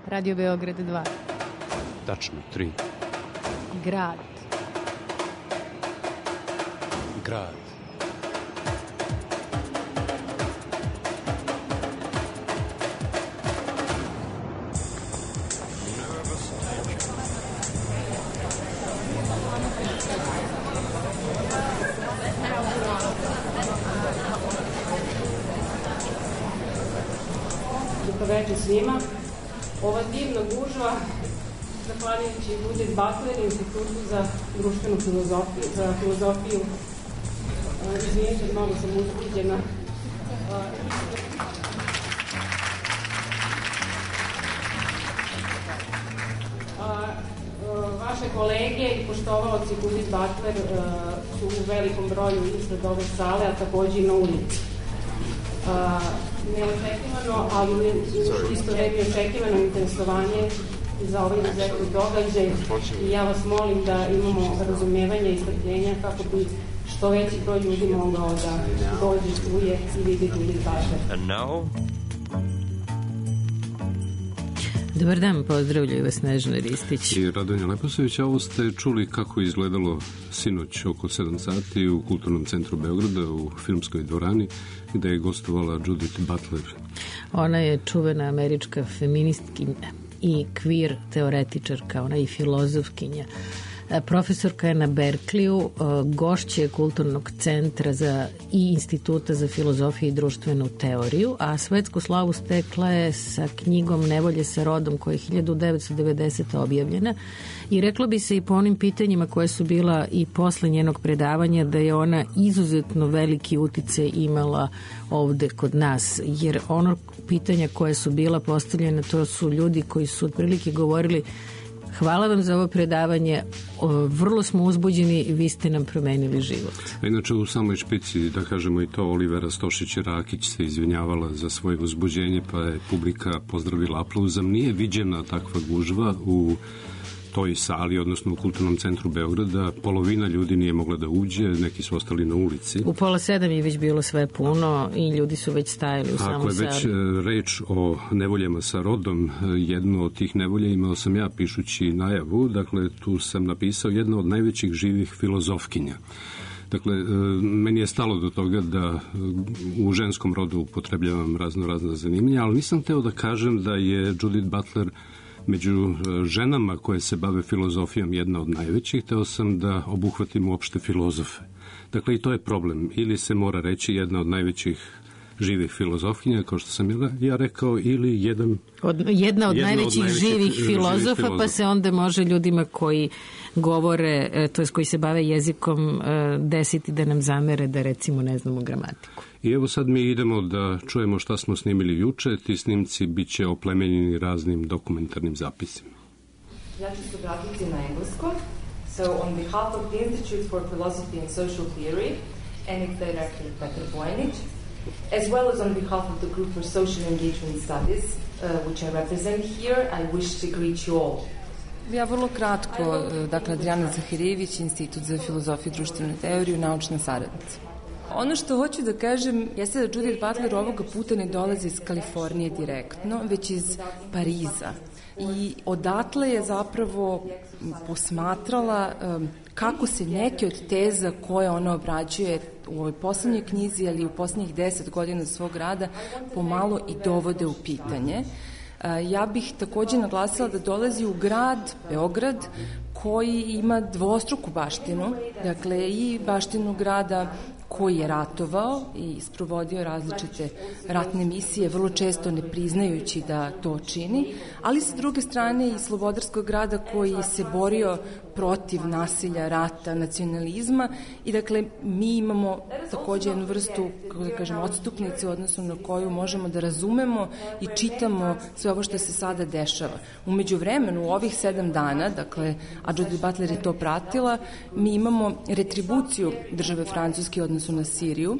Radio Beograd 2. Tačno, 3. Grad. Grad. Dobro večer svima. Ova divna gužva, zahvaljujući Judith Butler, Institutu za društvenu filozofiju, izvinite, mnogo sam uzbuđena. Vaše kolege i poštovaoci Judith Butler su u velikom broju ispred ove sale, a takođe i na ulici. Neočekivano, ali isto vreme očekivano interesovanje za ovaj izuzetni događaj i ja vas molim da imamo razumevanja i strpljenja kako bi što veći broj ljudi mogao da dođe, čuje i vidi Judith Butler. And now... Dobar dan, pozdravljaju vas Snežana Ristić i Radonja Leposević. Ovo ste čuli kako je izgledalo sinoć oko 7 sati u Kulturnom centru Beograda u filmskoj dvorani gde je gostovala Judith Butler. Ona je čuvena američka feministkinja i queer teoretičarka, ona je i filozofkinja. Profesorka je na Berkeleyu, gošće Kulturnog centra i Instituta za filozofiju i društvenu teoriju, a svetsku slavu stekla je sa knjigom Nevolje sa rodom koja je 1990. objavljena i reklo bi se i po onim pitanjima koje su bila i posle njenog predavanja da je ona izuzetno veliki uticaj imala ovde kod nas, jer ono pitanja koje su bila postavljena, to su ljudi koji su otprilike govorili: hvala vam za ovo predavanje, vrlo smo uzbuđeni i vi ste nam promenili život. A inače u samoj špici, da kažemo i to, Olivera Stošić-Rakić se izvinjavala za svoje uzbuđenje, pa je publika pozdravila aplauzom. Nije viđena takva gužva u toj sali, odnosno u Kulturnom centru Beograda. Polovina ljudi nije mogla da uđe, neki su ostali na ulici. U 6:30 je već bilo sve puno i ljudi su već stajali u samoj sali. Ako je već reč o nevoljama sa rodom, jedno od tih nevolja imao sam ja pišući najavu, dakle tu sam napisao jedna od najvećih živih filozofkinja. Dakle, meni je stalo do toga da u ženskom rodu upotrebljavam razna zanimljenja, ali nisam hteo da kažem da je Judith Butler među ženama koje se bave filozofijom jedna od najvećih, hteo sam da obuhvatim uopšte filozofe. Dakle, i to je problem. Ili se mora reći jedna od najvećih živih filozofkinja, kao što sam ja rekao, ili jedna od najvećih živih filozofa, pa se onda može ljudima koji govore, to jest koji se bave jezikom, desiti da nam zamere da recimo ne znamo gramatiku. I evo sad mi idemo da čujemo šta smo snimili juče. Ti snimci bit će oplemenjeni raznim dokumentarnim zapisima. Ja ću se vratiti na engleskom. So, on behalf of the Institute for Philosophy and Social Theory and its director Petar Bojanić, as well as on behalf of the Group for Social Engagement Studies, which I represent here, I wish to greet you all. Ja vrlo kratko, dakle Adriana Zahirijević, Institut za filozofiju i društvenu teoriju, naučna saradnica. Ono što hoću da kažem jeste da Judith Butler ovoga puta ne dolazi iz Kalifornije direktno, već iz Pariza. I odatle je zapravo posmatrala kako se neke od teza koje ona obrađuje u ovoj poslednjoj knjizi, ali u poslednjih 10 godina svog rada, pomalo i dovode u pitanje. Ja bih takođe naglasila da dolazi u grad, Beograd, koji ima dvostruku baštinu, dakle i baštinu grada koji je ratovao i sprovodio različite ratne misije, vrlo često ne priznajući da to čini, ali sa druge strane i slobodarskog grada koji se borio protiv nasilja, rata, nacionalizma i dakle mi imamo takođe jednu vrstu, kako da kažem, odstupnice u odnosu na koju možemo da razumemo i čitamo sve ovo što se sada dešava. Umeđu vremenu, u ovih 7 dana, dakle, a Judith Butler je to pratila, mi imamo retribuciju države Francuske u odnosu na Siriju,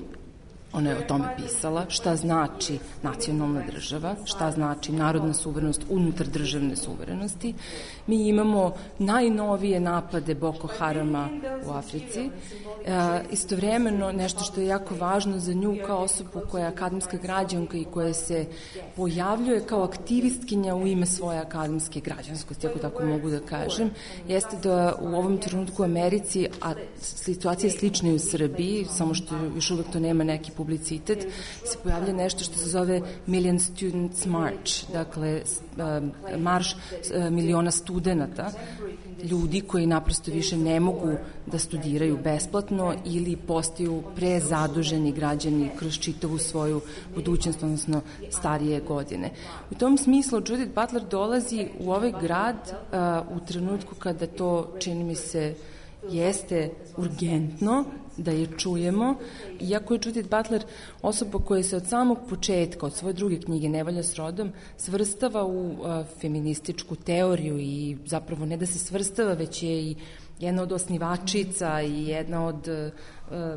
Ona je o tome pisala, šta znači nacionalna država, šta znači narodna suverenost unutar državne suverenosti. Mi imamo najnovije napade Boko Harama u Africi. Istovremeno, nešto što je jako važno za nju kao osobu koja je akademska građanka i koja se pojavljuje kao aktivistkinja u ime svoje akademske građanskosti, ako tako mogu da kažem, jeste da u ovom trenutku u Americi, a situacija je slična i u Srbiji, samo što još uvek to nema neki publicitet, se pojavlja nešto što se zove Million Students March, dakle marš miliona studenata, ljudi koji naprosto više ne mogu da studiraju besplatno ili postaju prezaduženi građani kroz čitavu svoju budućnost, odnosno starije godine. U tom smislu Judith Butler dolazi u ovaj grad u trenutku kada to, čini mi se, jeste urgentno da je čujemo, iako je Judith Butler osoba koja se od samog početka, od svoje druge knjige Nevolja s rodom, svrstava u feminističku teoriju i zapravo ne da se svrstava, već je i jedna od osnivačica i jedna od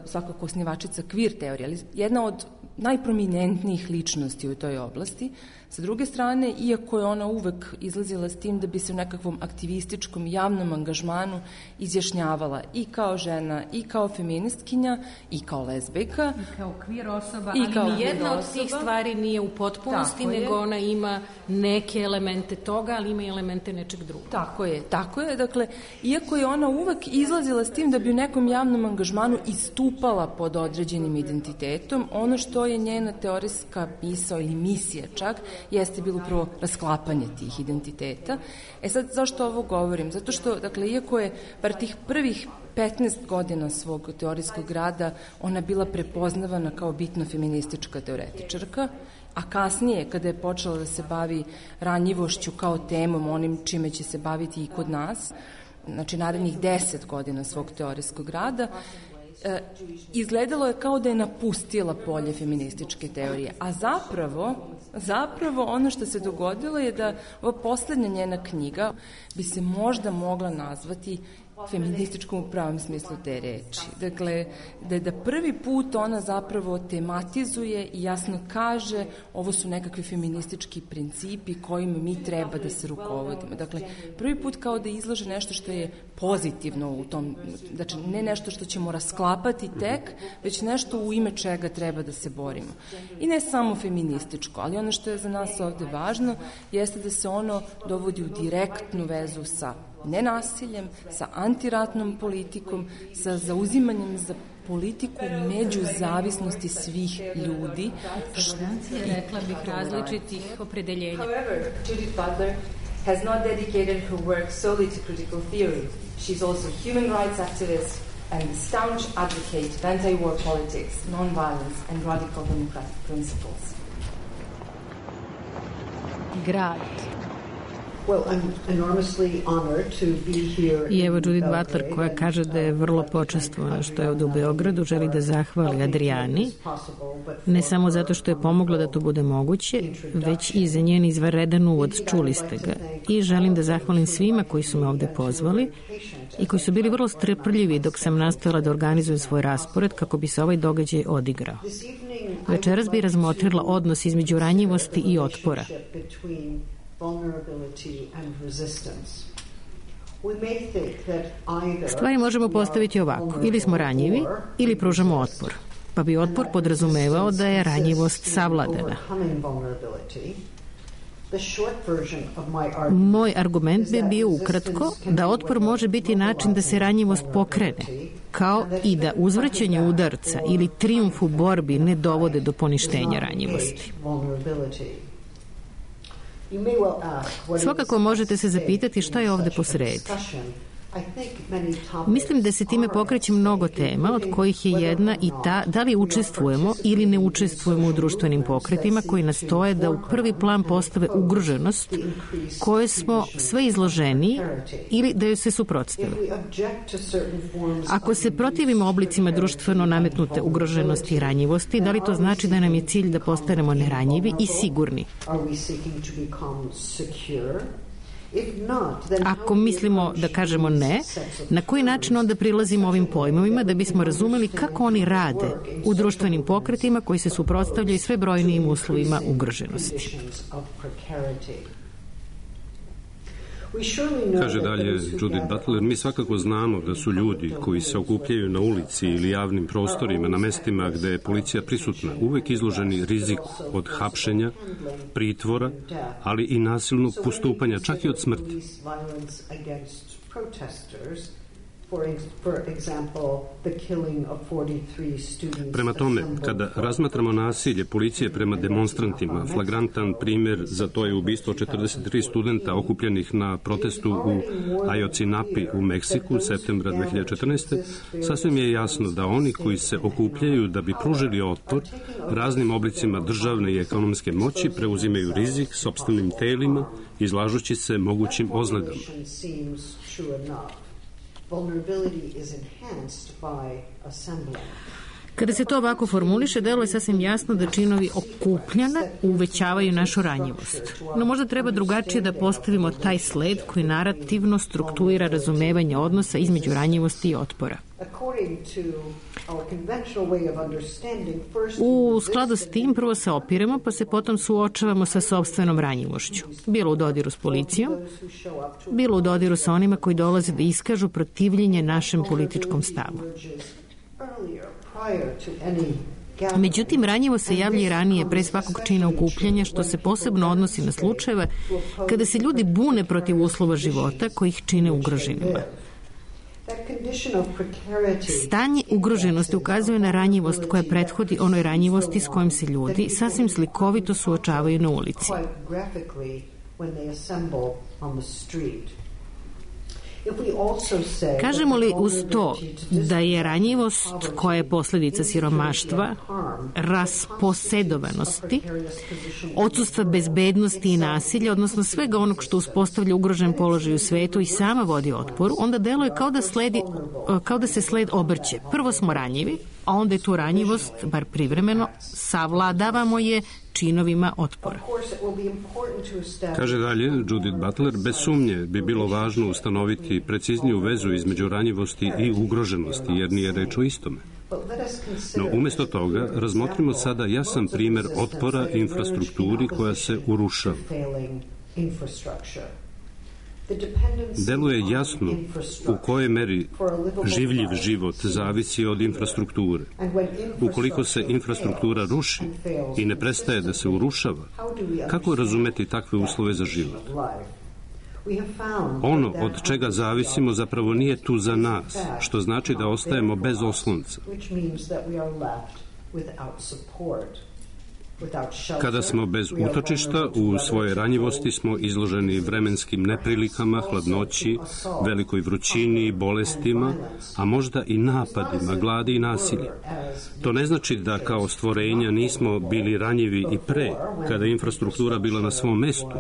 svakako osnivačica queer teorije, ali jedna od najprominentnijih ličnosti u toj oblasti. Sa druge strane, iako je ona uvek izlazila s tim da bi se u nekakvom aktivističkom javnom angažmanu izjašnjavala i kao žena, i kao feministkinja, i kao lezbejka. I kao queer osoba, ali nijedna od tih stvari nije u potpunosti, nego ona ima neke elemente toga, ali ima i elemente nečeg drugog. Tako je. Dakle, iako je ona uvek izlazila s tim da bi u nekom javnom angažmanu istupala pod određenim identitetom, ono što je njena teorijska misao ili misija čak, jeste bilo upravo rasklapanje tih identiteta. Sad, zašto ovo govorim? Zato što, dakle, iako je bar tih prvih 15 godina svog teorijskog rada ona bila prepoznavana kao bitno feministička teoretičarka, a kasnije, kada je počela da se bavi ranjivošću kao temom, onim čime će se baviti i kod nas, znači narednih 10 godina svog teorijskog rada, izgledalo je kao da je napustila polje feminističke teorije, a zapravo ono što se dogodilo je da ova poslednja njena knjiga bi se možda mogla nazvati feminističkom u pravom smislu te reči. Dakle, da prvi put ona zapravo tematizuje i jasno kaže ovo su nekakvi feministički principi kojima mi treba da se rukovodimo. Dakle, prvi put kao da izlaže nešto što je pozitivno u tom, znači ne nešto što ćemo rasklapati tek, već nešto u ime čega treba da se borimo. I ne samo feminističko, ali ono što je za nas ovde važno jeste da se ono dovodi u direktnu vezu sa nenasiljem, sa antiratnom politikom, sa zauzimanjem za politiku međuzavisnosti svih ljudi. Rekla bih različitih opredeljenja. However, Judith Butler has not dedicated her work solely to critical theory. She's also a human rights activist and a staunch advocate of anti-war politics, non-violence and radical democratic principles. Grad. I evo Judith Butler koja kaže da je vrlo počastvovana što je ovde u Beogradu, želi da zahvali Adriani, ne samo zato što je pomogla da to bude moguće, već i za njen izvanredan uvod, čuli ste ga. I želim da zahvalim svima koji su me ovde pozvali i koji su bili vrlo strpljivi dok sam nastojala da organizujem svoj raspored kako bi se ovaj događaj odigrao. Večeras bi razmotrila odnos između ranjivosti i otpora. Stvari možemo postaviti ovako, ili smo ranjivi ili pružamo otpor, pa bi otpor podrazumevao da je ranjivost savladana. Moj argument bi bio ukratko da otpor može biti način da se ranjivost pokrene, kao i da uzvraćanje udarca ili trijumf u borbi ne dovode do poništenja ranjivosti. Svakako možete se zapitati šta je ovde posredi. Mislim da se time pokreće mnogo tema, od kojih je jedna i ta da li učestvujemo ili ne učestvujemo u društvenim pokretima koji nastoje da u prvi plan postave ugroženost koje smo sve izloženiji ili da joj se suprotstave. Ako se protivimo oblicima društveno nametnute ugroženosti i ranjivosti, da li to znači da nam je cilj da postanemo neranjivi i sigurni? Ako mislimo da kažemo ne, na koji način onda prilazimo ovim pojmovima da bismo razumeli kako oni rade u društvenim pokretima koji se suprotstavljaju sve brojnijim uslovima ugroženosti. Kaže dalje Judith Butler, mi svakako znamo da su ljudi koji se okupljaju na ulici ili javnim prostorima na mestima gde je policija prisutna uvek izloženi riziku od hapšenja, pritvora, ali i nasilnog postupanja, čak i od smrti. Prema tome, kada razmatramo nasilje policije prema demonstrantima, flagrantan primjer za to je ubistvo 43 studenta okupljenih na protestu u Ayotzinapa u Meksiku, septembra 2014. Sasvim je jasno da oni koji se okupljaju da bi pružili otpor raznim oblicima državne i ekonomske moći preuzimaju rizik sopstvenim telima, izlažući se mogućim ozledama. Kada se to ovako formuliše, delo je sasvim jasno da činovi okupljanja uvećavaju našu ranjivost. No možda treba drugačije da postavimo taj sled koji narativno struktuira razumevanje odnosa između ranjivosti i otpora. U skladu s tim prvo se opiremo, pa se potom suočavamo sa sopstvenom ranjivošću. Bilo u dodiru s policijom, bilo u dodiru sa onima koji dolaze da iskažu protivljenje našem političkom stavu. Međutim, ranjivo se javlja i ranije pre svakog čina okupljanja, što se posebno odnosi na slučajeve kada se ljudi bune protiv uslova života koji ih čine ugroženima. Stanje ugroženosti ukazuje na ranjivost koja prethodi onoj ranjivosti s kojom se ljudi sasvim slikovito suočavaju na ulici. Kažemo li uz to da je ranjivost koja je posljedica siromaštva, rasposedovanosti, odsustva bezbednosti i nasilja, odnosno svega onog što uspostavlja ugrožen položaj u svetu i sama vodi otporu, onda deluje kao da se sled obrće. Prvo smo ranjivi, a onda je tu ranjivost, bar privremeno, savladavamo je činovima otpora. Kaže dalje Judith Butler, bez sumnje bi bilo važno ustanoviti precizniju vezu između ranjivosti i ugroženosti, jer nije reč o istome. No, umjesto toga, razmotrimo sada jasan primjer otpora infrastrukturi koja se urušava. Deluje jasno u kojoj meri življiv život zavisi od infrastrukture. Ukoliko se infrastruktura ruši i ne prestaje da se urušava, kako razumeti takve uslove za život? Ono od čega zavisimo zapravo nije tu za nas, što znači da ostajemo bez oslonca. Kada smo bez utočišta, u svojoj ranjivosti smo izloženi vremenskim neprilikama, hladnoći, velikoj vrućini, bolestima, a možda i napadima, gladi i nasilja. To ne znači da kao stvorenja nismo bili ranjivi i pre, kada je infrastruktura bila na svom mestu,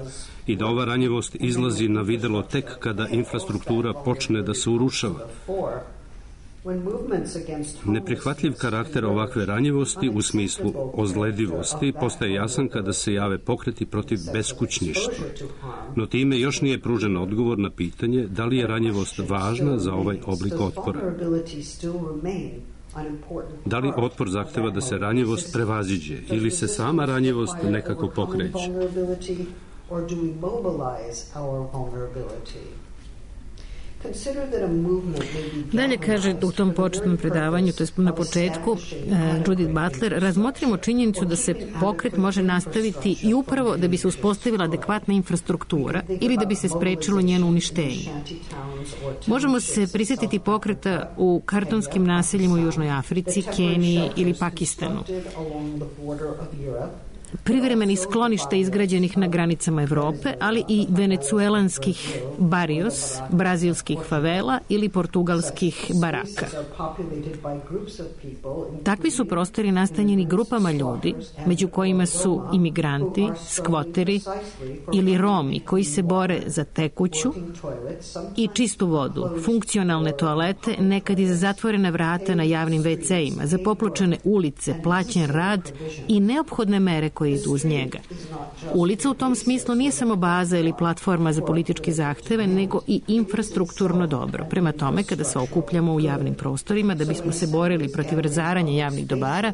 i da ova ranjivost izlazi na videlo tek kada infrastruktura počne da se urušava. Neprihvatljiv karakter ovakve ranjivosti u smislu ozledivosti postaje jasan kada se jave pokreti protiv beskućništva. No time još nije pružen odgovor na pitanje da li je ranjivost važna za ovaj oblik otpora. Da li otpor zahteva da se ranjivost prevaziđe ili se sama ranjivost nekako pokreće? Dalje kaže u tom početnom predavanju, to je na početku, Judith Butler, razmotrimo činjenicu da se pokret može nastaviti i upravo da bi se uspostavila adekvatna infrastruktura ili da bi se sprečilo njeno uništenje. Možemo se prisjetiti pokreta u kartonskim naseljima u Južnoj Africi, Keniji ili Pakistanu. Privremenih skloništa izgrađenih na granicama Evrope, ali i venecuelanskih barrios, brazilskih favela ili portugalskih baraka. Takvi su prostori nastanjeni grupama ljudi, među kojima su imigranti, skvoteri ili Romi koji se bore za tekuću i čistu vodu, funkcionalne toalete, nekad i za zatvorena vrata na javnim WC-ima, za popločene ulice, plaćen rad i neophodne mere koje idu uz njega. Ulica u tom smislu nije samo baza ili platforma za političke zahteve, nego i infrastrukturno dobro. Prema tome, kada se okupljamo u javnim prostorima da bismo se borili protiv razaranja javnih dobara,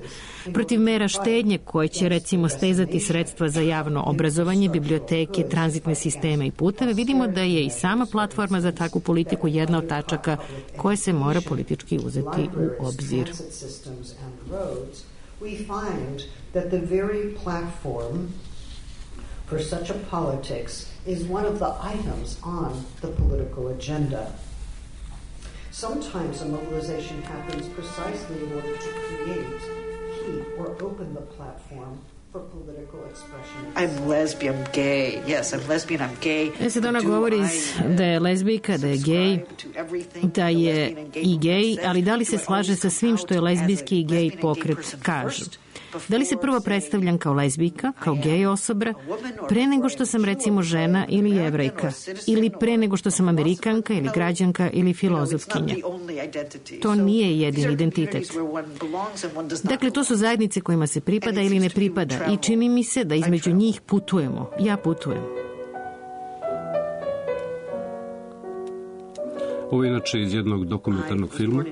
protiv mera štednje koje će recimo stezati sredstva za javno obrazovanje, biblioteke, tranzitne sisteme i puteve, vidimo da je i sama platforma za takvu politiku jedna od tačaka koje se mora politički uzeti u obzir. We find that the very platform for such a politics is one of the items on the political agenda. Sometimes a mobilization happens precisely in order to create, keep, or open the platform for political expression. I'm lesbian, gay. Yes, I'm lesbian, I'm gay. Sad ona govori da je lezbijka, da je gej, da je i gej, ali da li se slaže sa svim što je lezbijski i gej pokret kažu? Da li se prvo predstavljam kao lezbijka, kao gej osoba, pre nego što sam recimo žena ili jevrejka, ili pre nego što sam Amerikanka ili građanka ili filozofkinja? To nije jedini identitet. Dakle, to su zajednice kojima se pripada ili ne pripada i čini mi se da između njih putujemo. Ja putujem. Ovo je inače iz jednog dokumentarnog filma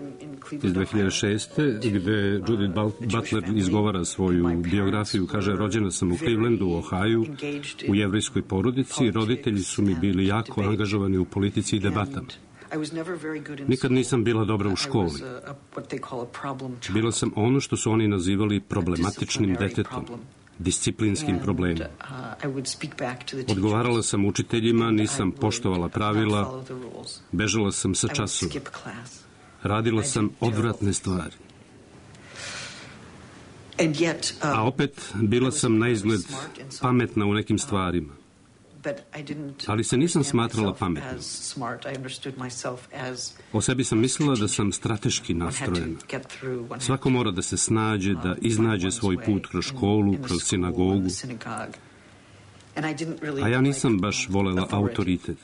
iz 2006. gde Judith Butler izgovara svoju biografiju. Kaže, rođena sam u Clevelandu, u Ohaju, u jevrejskoj porodici. Roditelji su mi bili jako angažovani u politici i debatama. Nikad nisam bila dobra u školi. Bila sam ono što su oni nazivali problematičnim detetom, disciplinskim problemom. Odgovarala sam učiteljima, nisam poštovala pravila, bežala sam sa časova. Radila sam odvratne stvari. A opet bila sam na izgled pametna u nekim stvarima. Ali se nisam smatrala pametnom. O sebi sam mislila da sam strateški nastrojena. Svako mora da se snađe, da iznađe svoj put kroz školu, kroz sinagogu. A ja nisam baš volela autoritet.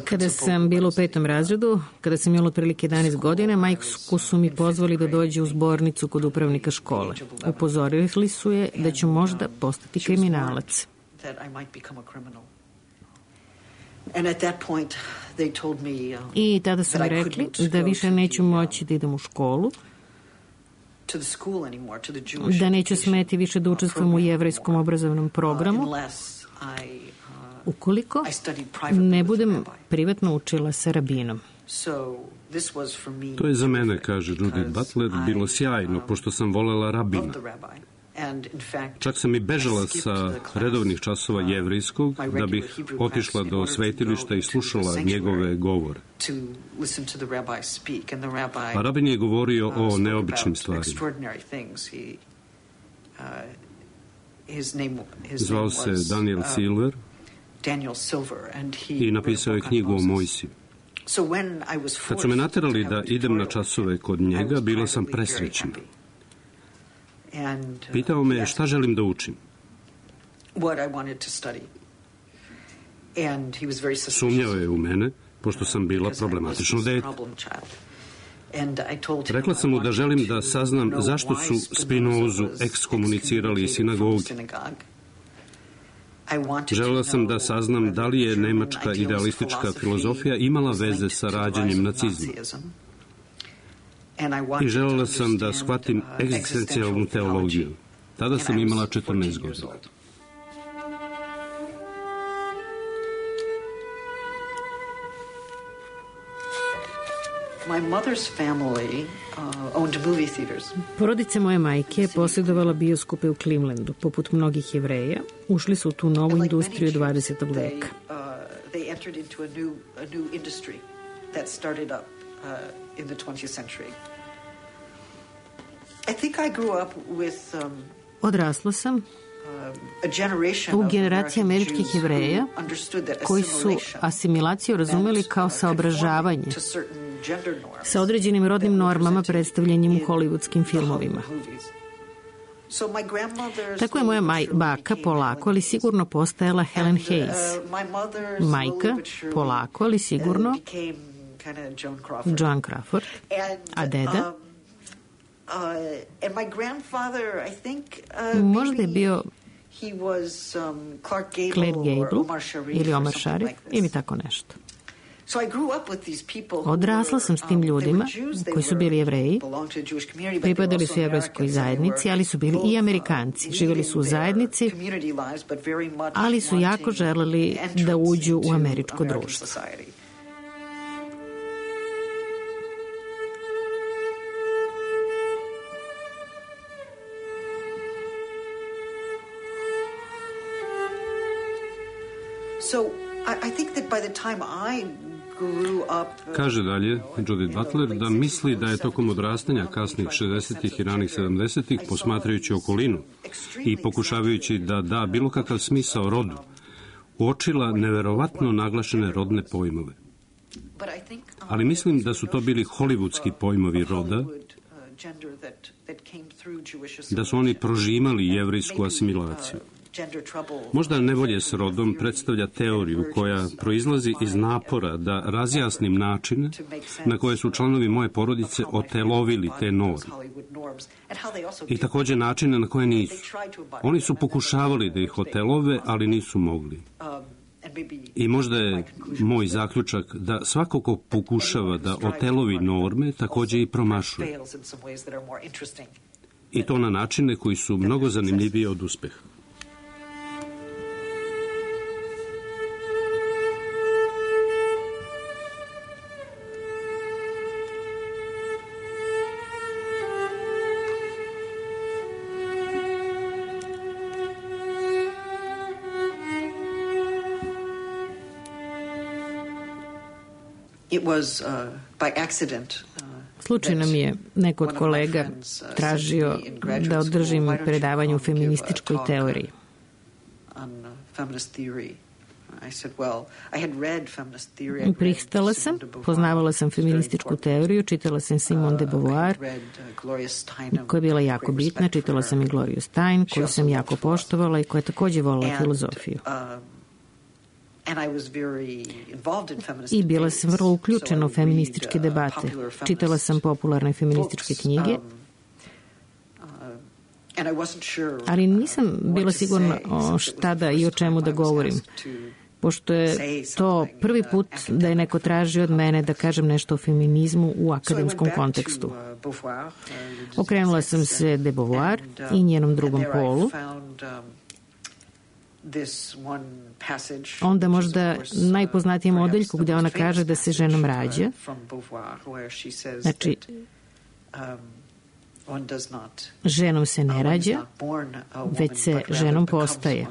Kada sam bila u 5. razredu, kada sam imala otprilike 11 godina, majku su mi pozvali da dođe u zbornicu kod upravnika škole. Upozorili su je da ću možda postati kriminalac. I tada su mi rekli da više neću moći da idem u školu, da neću smeti više da učestvujem u jevrejskom obrazovnom programu ukoliko ne budem privatno učila sa rabinom. To je za mene, kaže Judith Butler, bilo sjajno, pošto sam volela rabina. Čak sam i bežala sa redovnih časova jevrejskog da bih otišla do svetilišta i slušala njegove govore. A rabin je govorio o neobičnim stvarima. Zvao se Daniel Silver i napisao je knjigu o Mojsiju. Kad su me naterali da idem na časove kod njega, bila sam presrećna. Pitao me šta želim da učim. Sumnjao je u mene, pošto sam bila problematično dete. Rekla sam mu da želim da saznam zašto su Spinozu ekskomunicirali iz sinagoge. Želela sam da saznam da li je nemačka idealistička filozofija imala veze sa rađanjem nacizma. I želela sam da shvatim egzistencijalnu teologiju. Tada sam imala 14 godina. Porodica moje majke posjedovala bioskope u Clevelandu. Poput mnogih Jevreja, ušli su u tu novu industriju 20. veka. In the 20th century. I think I grew up with Odrasla sam u generaciji američkih Jevreja koji su asimilaciju razumeli kao saobražavanje sa određenim rodnim normama predstavljenim u hollywoodskim filmovima. Tako je moja baka polako, ali sigurno postajala Helen Hayes. Majka polako, ali sigurno Joan Crawford. A deda? And my grandfather, I think, možda je bio Clark Gable ili Omar Sharif ili tako nešto. Odrasla sam s tim ljudima koji su bili Jevreji, pripadali su jevrejskoj zajednici, ali su bili i Amerikanci. Živjeli su u zajednici, ali su jako želeli da uđu u američko društvo. Kaže dalje Judith Butler da misli da je tokom odrastanja kasnih 60-ih i ranih 70-ih, posmatrajući okolinu i pokušavajući da da bilo kakav smisao rodu, uočila neverovatno naglašene rodne pojmove. Ali mislim da su to bili hollywoodski pojmovi roda, da su oni prožimali jevrejsku asimilaciju. Možda nevolje s rodom predstavlja teoriju koja proizlazi iz napora da razjasnim načine na koje su članovi moje porodice otelovili te norme. I također načine na koje nisu. Oni su pokušavali da ih otelove, ali nisu mogli. I možda je moj zaključak da svako ko pokušava da otelovi norme također i promašuje. I to na načine koji su mnogo zanimljiviji od uspeha. Slučajno mi je neko od kolega tražio da održim predavanje u feminističkoj teoriji. Pristala sam, poznavala sam feminističku teoriju, čitala sam Simone de Beauvoir, koja je bila jako bitna, čitala sam i Gloriju Stein, koju sam jako poštovala i koja je također volila filozofiju. I bila sam vrlo uključena u feminističke debate. Čitala sam popularne feminističke knjige, ali nisam bila sigurna o šta da i o čemu da govorim, pošto je to prvi put da je neko tražio od mene da kažem nešto o feminizmu u akademskom kontekstu. Okrenula sam se de Beauvoir i njenom drugom polu. Onda možda najpoznatijem odeljku gdje ona kaže da se ženom rađa. Znači, ženom se ne rađa, već se ženom postaje.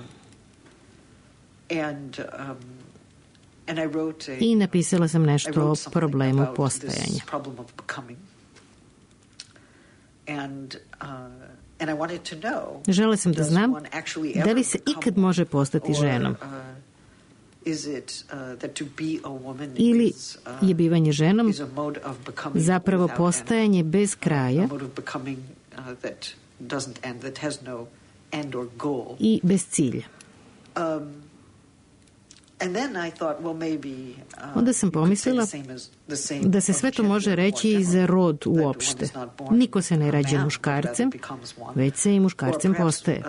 I napisala sam nešto o problemu postajanja. Žela sam da znam da li se ikad može postati ženom ili je bivanje ženom zapravo postajanje bez kraja i bez cilja. Onda sam pomislila da se sve to može reći i za rod uopšte. Niko se ne rađa muškarcem, već se i muškarcem postaje.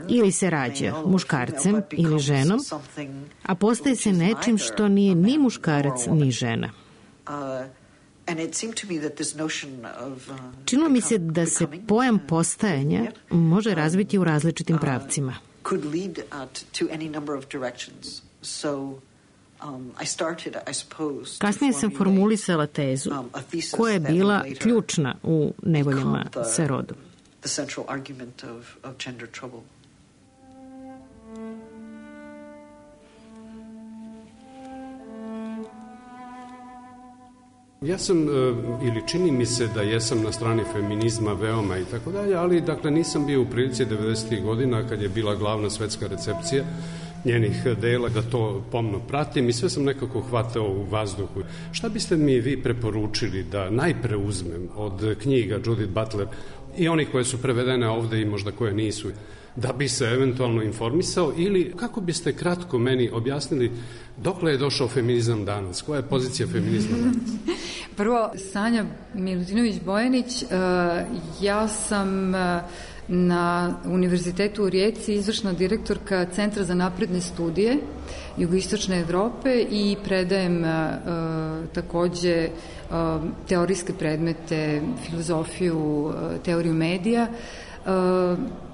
Ili se rađa muškarcem ili ženom, a postaje se nečim što nije ni muškarac ni žena. Činilo mi se da se pojam postajanja može razviti u različitim pravcima. Kasnije sam formulisala tezu koja je bila ključna u nevoljama sa rodom. Ja sam, ili čini mi se da jesam na strani feminizma veoma i tako dalje, ali dakle nisam bio u prilici 90. godina kad je bila glavna svetska recepcija njenih dela da to pomno pratim i sve sam nekako hvatao u vazduhu. Šta biste mi vi preporučili da najpre uzmem od knjiga Judith Butler i onih koje su prevedene ovde i možda koje nisu, da bi se eventualno informisao, ili kako biste kratko meni objasnili dokle je došao feminizam danas? Koja je pozicija feminizma danas? Prvo, Sanja Milutinović-Bojanić, ja sam na Univerzitetu u Rijeci izvršna direktorka Centra za napredne studije Jugoistočne Evrope i predajem takođe teorijske predmete, filozofiju, teoriju medija.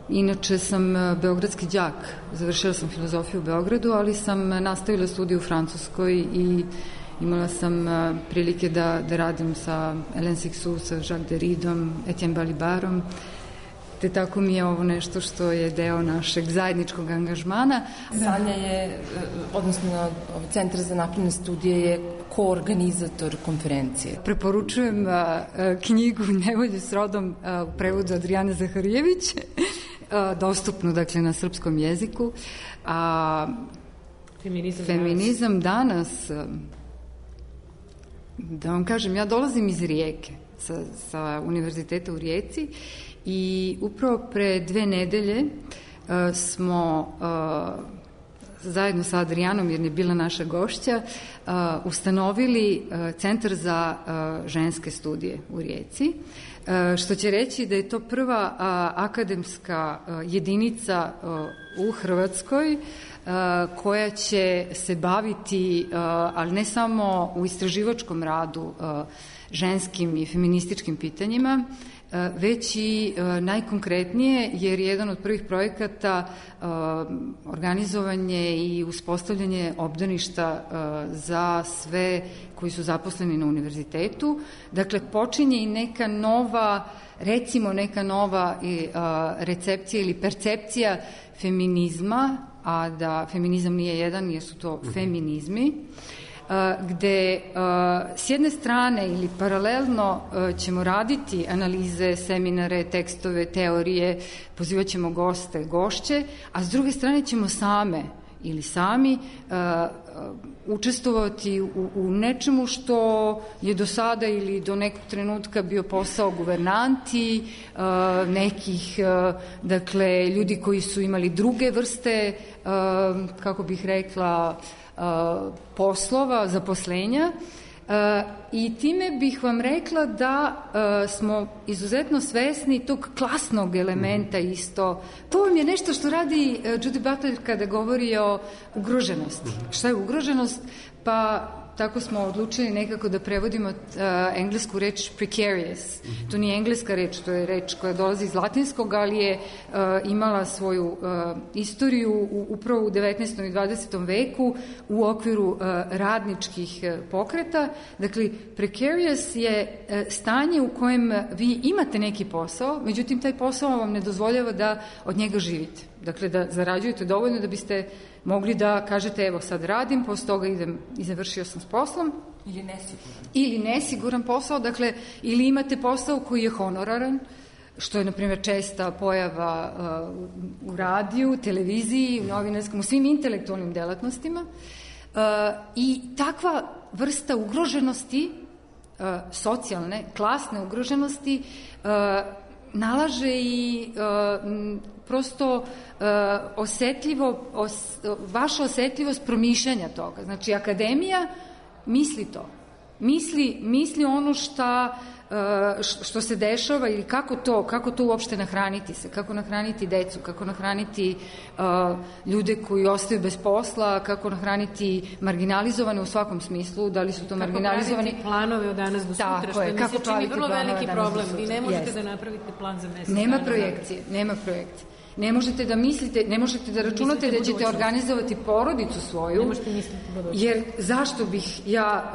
Inače sam beogradski đak, završila sam filozofiju u Beogradu, ali sam nastavila studiju u Francuskoj i imala sam prilike da radim sa Hélène Cixous, sa Jacques Derridom, Etienne Balibarom, te tako mi je ovo nešto što je deo našeg zajedničkog angažmana. Sanja je, odnosno Centar za napredne studije je koorganizator konferencije. Preporučujem knjigu Nevolje s rodom u prevodu Adrijane Zaharijević, dostupnu dakle na srpskom jeziku. Feminizam danas, da vam kažem, ja dolazim iz Rijeke, sa Univerziteta u Rijeci, i upravo pre 2 nedelje smo zajedno sa Adrijanom, jer je bila naša gošća, ustanovili Centar za ženske studije u Rijeci, što će reći da je to prva akademska jedinica u Hrvatskoj koja će se baviti, ali ne samo u istraživačkom radu, ženskim i feminističkim pitanjima, već i najkonkretnije, jer jedan od prvih projekata organizovanje i uspostavljanje obdaništa za sve koji su zaposleni na univerzitetu. Dakle, počinje i neka nova, recimo neka nova recepcija ili percepcija feminizma, a da feminizam nije jedan, jer su to feminizmi, gde s jedne strane ili paralelno ćemo raditi analize, seminare, tekstove, teorije, pozivat ćemo goste, gošće, a s druge strane ćemo same ili sami učestvovati u nečemu što je do sada ili do nekog trenutka bio posao guvernanti, nekih, dakle, ljudi koji su imali druge vrste, kako bih rekla, poslova, zaposlenja, i time bih vam rekla da smo izuzetno svesni tog klasnog elementa isto. To vam je nešto što radi Judy Butler kada govori o ugroženosti. Šta je ugroženost? Pa tako smo odlučili nekako da prevodimo englesku reč precarious. To nije engleska reč, to je reč koja dolazi iz latinskog, ali je imala svoju istoriju upravo u 19. i 20. veku u okviru radničkih pokreta. Dakle, precarious je stanje u kojem vi imate neki posao, međutim taj posao vam ne dozvoljava da od njega živite. Dakle, da zarađujete dovoljno da biste mogli da kažete, evo sad radim, posle toga idem i završio sam s poslom. Ili nesiguran. Ili nesiguran posao, dakle, ili imate posao koji je honoraran, što je, na primjer, česta pojava u radiju, televiziji, u novinarskom, u svim intelektualnim delatnostima. I takva vrsta ugroženosti, socijalne, klasne ugroženosti, nalaže i prosto vaša osetljivost promišljanja toga. Znači, akademija misli to. Misli ono što se dešava ili kako to uopšte nahraniti se, kako nahraniti decu, kako nahraniti ljude koji ostaju bez posla, kako nahraniti marginalizovane u svakom smislu, da li su to marginalizovani... Kako praviti planove od danas do sutra, što mi se čini vrlo veliki problem. Vi ne možete da napravite plan za mesec. Nema projekcije. Ne možete da mislite, ne možete da računate da ćete organizovati porodicu svoju, jer zašto bih ja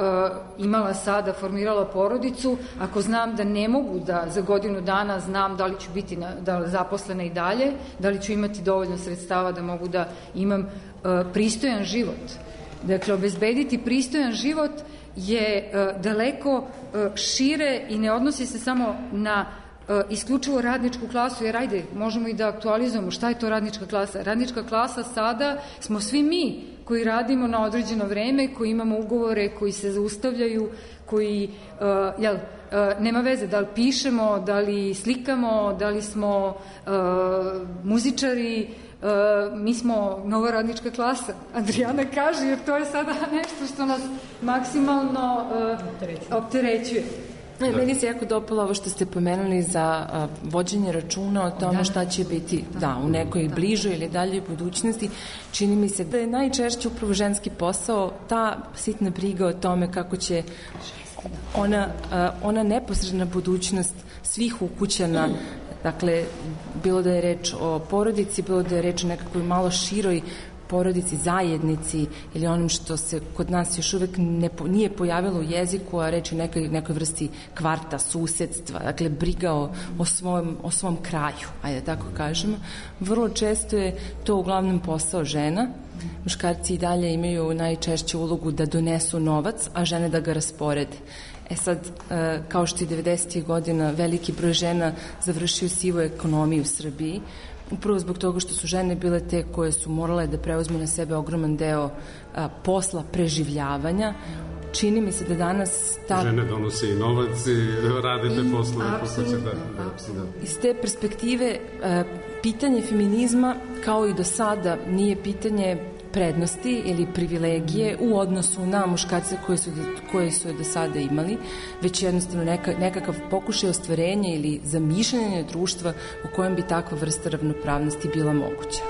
imala sada, formirala porodicu, ako znam da ne mogu da za godinu dana znam da li ću biti zaposlena i dalje, da li ću imati dovoljno sredstava da mogu da imam pristojan život. Dakle, obezbediti pristojan život je daleko šire i ne odnosi se samo na isključivo radničku klasu, jer ajde, možemo i da aktualizujemo šta je to radnička klasa. Radnička klasa sada smo svi mi koji radimo na određeno vreme, koji imamo ugovore, koji se zaustavljaju, koji nema veze da li pišemo, da li slikamo, da li smo muzičari, mi smo nova radnička klasa. Adriana kaže, jer to je sada nešto što nas maksimalno opterećuje. Meni se jako dopalo ovo što ste pomenuli za vođenje računa o tome šta će biti u nekoj bližoj ili daljoj budućnosti. Čini mi se da je najčešće upravo ženski posao ta sitna briga o tome kako će ona neposredna budućnost svih ukućana, dakle, bilo da je reč o porodici, bilo da je reč o nekakvoj malo široj porodici, zajednici ili onom što se kod nas još uvek nije pojavilo u jeziku, a reč je nekoj vrsti kvarta, susedstva, dakle briga o svom kraju, ajde tako kažemo. Vrlo često je to uglavnom posao žena. Muškarci i dalje imaju najčešću ulogu da donesu novac, a žene da ga rasporede. Sad, kao što i 90. godina veliki broj žena završio sivu ekonomiju u Srbiji, upravo zbog toga što su žene bile te koje su morale da preuzmu na sebe ogroman deo posla preživljavanja. Čini mi se da danas žene donose i novac i rade te poslove. Apsolutno. Iz te perspektive pitanje feminizma kao i do sada nije pitanje prednosti ili privilegije u odnosu na muškarce koje su do sada imali, već jednostavno nekakav pokušaj ostvarenja ili zamišljanja društva u kojem bi takva vrsta ravnopravnosti bila moguća.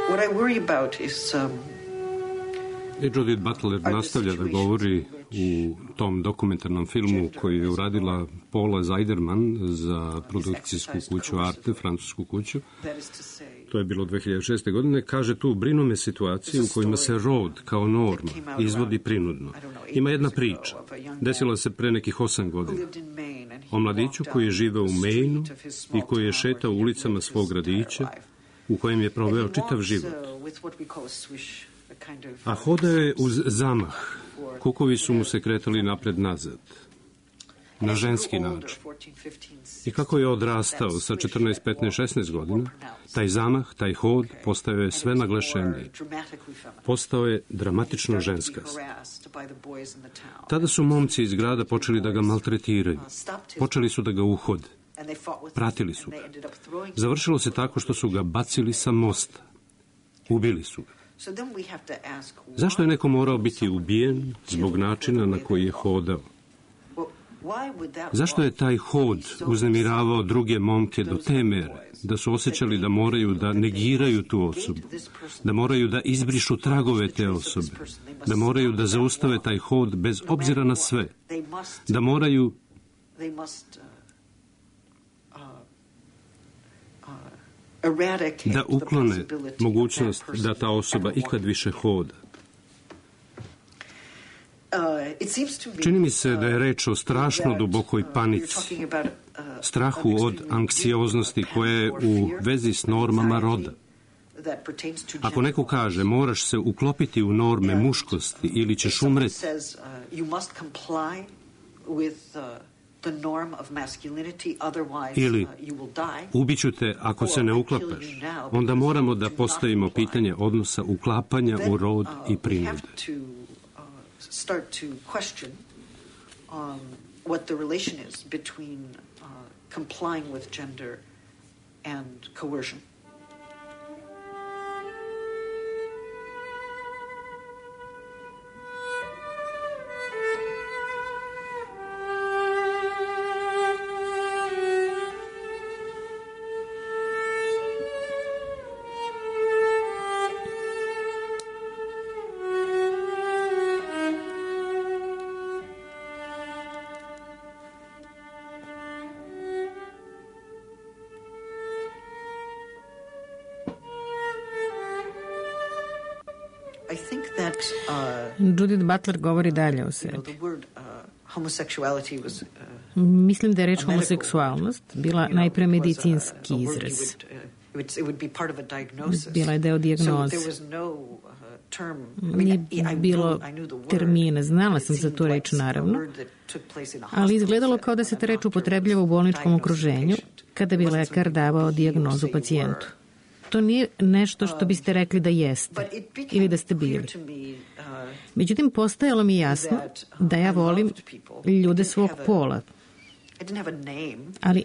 What I worry about is Judith Butler nastavlja da govori u tom dokumentarnom filmu koji je uradila Paula Zeiderman za produkcijsku kuću Arte, francusku kuću. To je bilo 2006. godine. Kaže tu, brinu me situacije u kojima se rod kao norma izvodi prinudno. Ima jedna priča. Desila se pre nekih 8 godina. O mladiću koji je živeo u Mainu i koji je šetao ulicama svog gradića u kojem je proveo čitav život. A hodao je uz zamah. Kukovi su mu se kretali napred-nazad. Na ženski način. I kako je odrastao sa 14, 15, 16 godina, taj zamah, taj hod postao je sve naglašeniji. Postao je dramatično ženskast. Tada su momci iz grada počeli da ga maltretiraju. Počeli su da ga uhode. Pratili su ga. Završilo se tako što su ga bacili sa mosta. Ubili su ga. Zašto je neko morao biti ubijen zbog načina na koji je hodao? Zašto je taj hod uznemiravao druge momke do te mere da su osjećali da moraju da negiraju tu osobu, da moraju da izbrišu tragove te osobe, da moraju da zaustave taj hod bez obzira na sve, da moraju da uklone mogućnost da ta osoba ikad više hoda. Čini mi se da je reč o strašno dubokoj panici, strahu od anksioznosti koja je u vezi s normama roda. Ako neko kaže moraš se uklopiti u norme muškosti ili ćeš umreti, ili ubiću te ako se ne uklapaš, onda moramo da postavimo pitanje odnosa uklapanja u rod i prinude. Start to question what the relation is between complying with gender and coercion. Judith Butler govori dalje o sebi. Mislim da je reč homoseksualnost bila najpre medicinski izraz. Bila je deo dijagnoze. Nije bilo termina, znala sam za tu reč naravno, ali izgledalo kao da se ta reč upotrebljava u bolničkom okruženju kada bi lekar davao dijagnozu pacijentu. to nije nešto što biste rekli da jeste ili da ste bili. Međutim, postajalo mi jasno da ja volim ljude svog pola, ali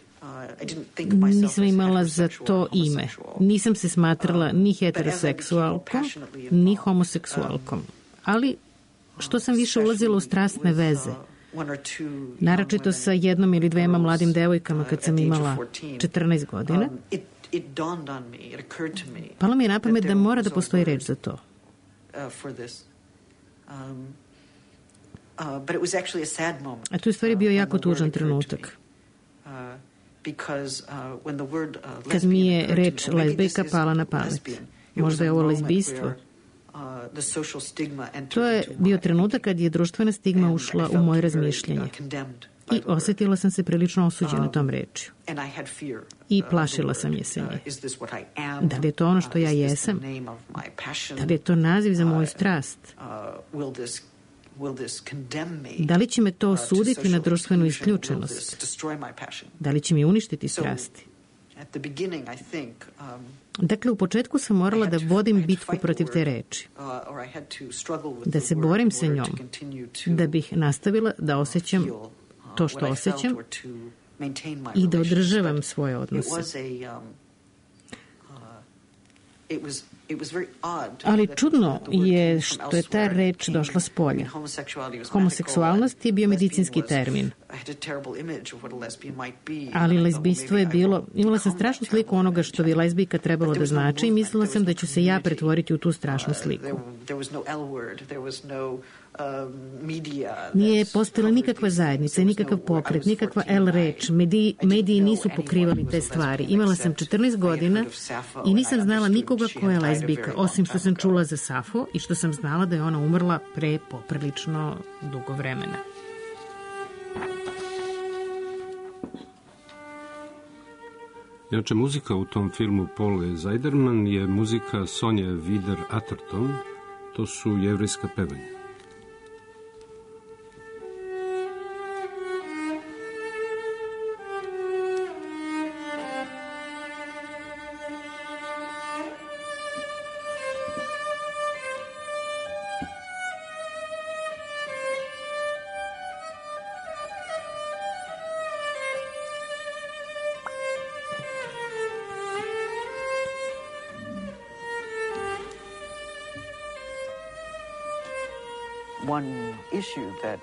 nisam imala za to ime. Nisam se smatrala ni heteroseksualkom, ni homoseksualkom. Ali što sam više ulazila u strasne veze, naročito sa jednom ili dvema mladim devojkama kad sam imala 14 godina, palo mi je na pamet da mora da postoji reč za to. A tu je stvari bio jako tužan trenutak. Kad mi je reč lezbijka pala na pamet. Možda je ovo lezbijstvo. To je bio trenutak kad je društvena stigma ušla u moje razmišljanje. I osjetila sam se prilično osuđena tom rečju. I plašila sam je se nje. Da li je to ono što ja jesam? Da li je to naziv za moju strast? Da li će me to osuditi na društvenu isključenost? Da li će mi uništiti strasti? Dakle, u početku sam morala da vodim bitku protiv te reči. Da se borim sa njom. Da bih nastavila da osjećam to što osjećam i da održavam svoje odnose. Ali čudno je što je ta reč došla s polja. Homoseksualnost je bio medicinski termin. Ali lezbijstvo je bilo... Imala sam strašnu sliku onoga što bi lezbijka trebalo da znači i mislila sam da ću se ja pretvoriti u tu strašnu sliku. Nije postojala nikakva zajednica, nikakav pokret, nikakva L reč. Mediji nisu pokrivali te stvari. Imala sam 14 godina i nisam znala nikoga ko je lezbijka, osim što sam čula za Safo i što sam znala da je ona umrla pre poprilično dugo vremena. Inače, muzika u tom filmu Paule Zajderman je muzika Sonje Vider-Atherton. To su jevrejska pevanja.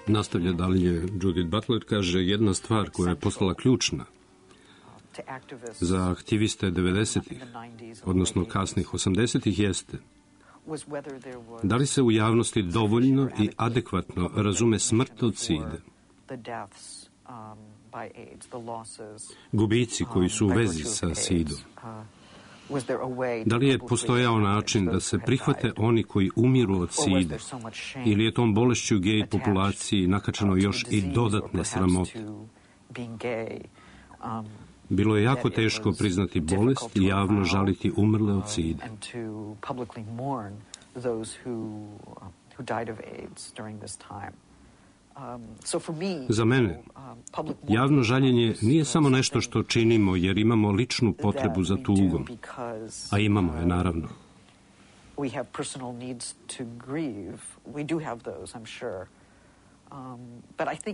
Nastavlja dalje Judith Butler, kaže, jedna stvar koja je postala ključna za aktiviste 90-ih, odnosno kasnih 80-ih, jeste da li se u javnosti dovoljno i adekvatno razume smrt od side. Gubici koji su u vezi sa sidom. Da li je postojao način da se prihvate oni koji umiru od side ili je tom bolešću gej populaciji nakačeno još i dodatne sramote? Bilo je jako teško priznati bolest i javno žaliti umrle od side. Za mene, javno žaljenje nije samo nešto što činimo jer imamo ličnu potrebu za tugom, a imamo je, naravno.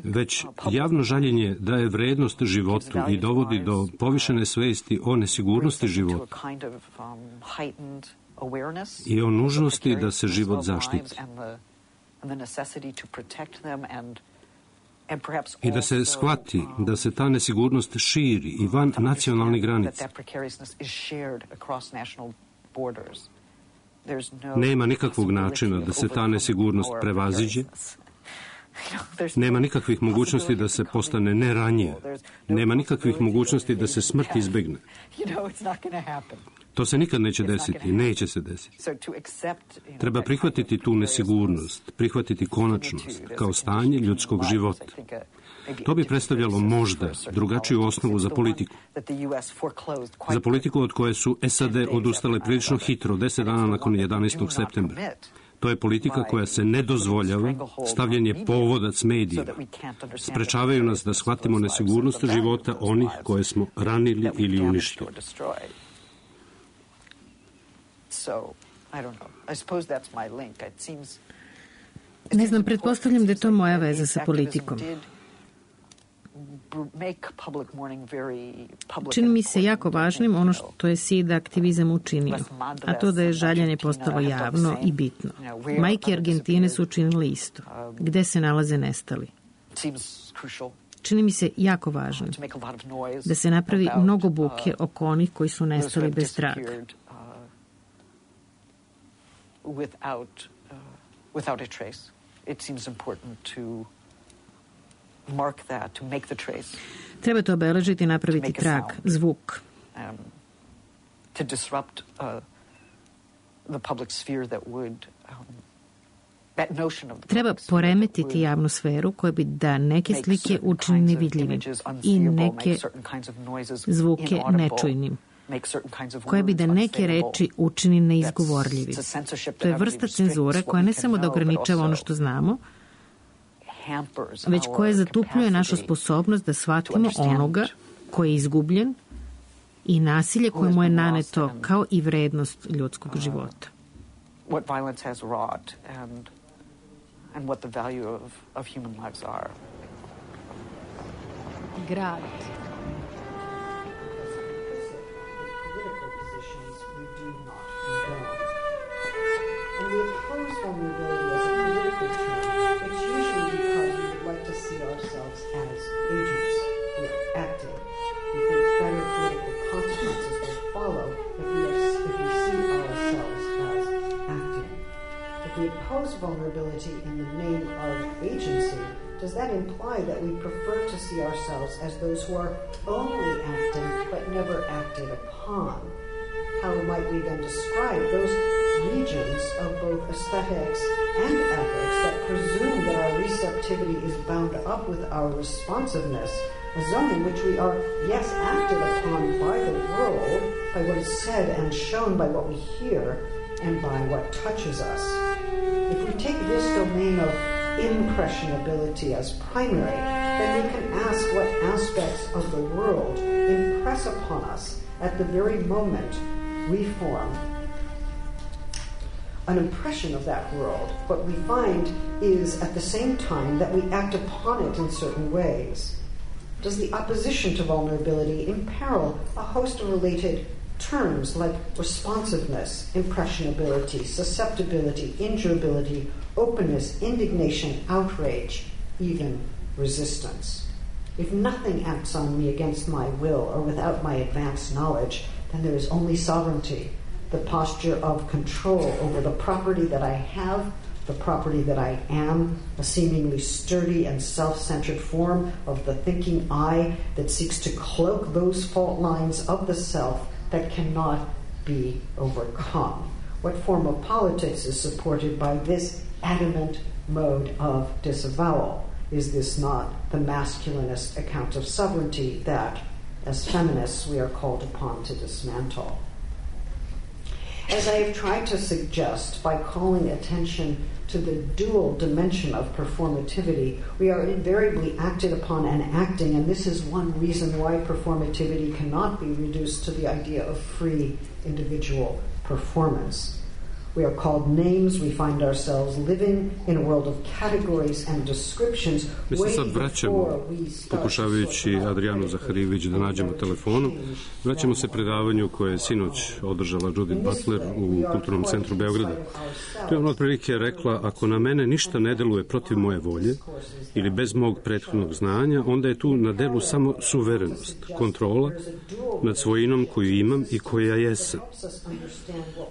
Već javno žaljenje daje vrednost životu i dovodi do povišene svesti o nesigurnosti života i o nužnosti da se život zaštiti. I da se shvati da se ta nesigurnost širi i van nacionalnih granica. Nema nikakvog načina da se ta nesigurnost prevaziđe. Nema nikakvih mogućnosti da se postane neranjiv. Nema nikakvih mogućnosti da se smrt izbegne. To se nikad neće desiti, neće se desiti. Treba prihvatiti tu nesigurnost, prihvatiti konačnost kao stanje ljudskog života. To bi predstavljalo možda drugačiju osnovu za politiku. Za politiku od koje su SAD odustale prilično hitro, 10 dana nakon 11. septembra. To je politika koja se ne dozvoljava, stavljen je povodac medijima. Sprečavaju nas da shvatimo nesigurnost života onih koje smo ranili ili uništili. Ne znam, pretpostavljam da je to moja veza sa politikom. Čini mi se jako važnim ono što je SID aktivizam učinio, a to da je žaljenje postalo javno i bitno. Majke Argentine su učinile isto. Gde se nalaze nestali? Čini mi se jako važno da se napravi mnogo buke oko onih koji su nestali bez traga. Without a trace. It seems important to mark that, to make the trace. Treba to obeležiti i napraviti trag, zvuk. To disrupt the public sphere that would that notion of the Treba poremetiti javnu sferu koja bi da neke slike učini nevidljivim i neke zvuke nečujnim, koja bi da neke reči učini neizgovorljivim. To je vrsta cenzure koja ne samo da ograničava ono što znamo, već koja zatupljuje našu sposobnost da shvatimo onoga koji je izgubljen i nasilje koje mu je naneto kao i vrednost ljudskog života. What violence has wrought and what the value of human lives are. Grad. We oppose vulnerability as a political term. It's usually because we would like to see ourselves as agents. We are acting. We think better political consequences will follow if we see ourselves as acting. If we oppose vulnerability in the name of agency, does that imply that we prefer to see ourselves as those who are only acting but never acted upon? How might we then describe those regions of both aesthetics and ethics that presume that our receptivity is bound up with our responsiveness, a zone in which we are, yes, acted upon by the world, by what is said and shown, by what we hear, and by what touches us. If we take this domain of impressionability as primary, then we can ask what aspects of the world impress upon us at the very moment we form an impression of that world. What we find is at the same time that we act upon it in certain ways. Does the opposition to vulnerability imperil a host of related terms like responsiveness, impressionability, susceptibility, injurability, openness, indignation, outrage, even resistance? If nothing acts on me against my will or without my advanced knowledge, then there is only sovereignty, the posture of control over the property that I have, the property that I am, a seemingly sturdy and self-centered form of the thinking I that seeks to cloak those fault lines of the self that cannot be overcome. What form of politics is supported by this adamant mode of disavowal? Is this not the masculinist account of sovereignty that, as feminists, we are called upon to dismantle? As I have tried to suggest by calling attention to the dual dimension of performativity, we are invariably acted upon and acting, and this is one reason why performativity cannot be reduced to the idea of free individual performance. We are called names, we find ourselves living in a world of categories and descriptions. Mi se sad vraćamo, pokušavajući Adrijanu Zaharijević da nađemo telefonom, vraćamo se predavanju koje je sinoć održala Judith Butler u Kulturnom centru Beograda. To je ona otprilike rekla, ako na mene ništa ne deluje protiv moje volje ili bez mog prethodnog znanja, onda je tu na delu samo suverenost, kontrola nad svojinom koju imam i koja jesam.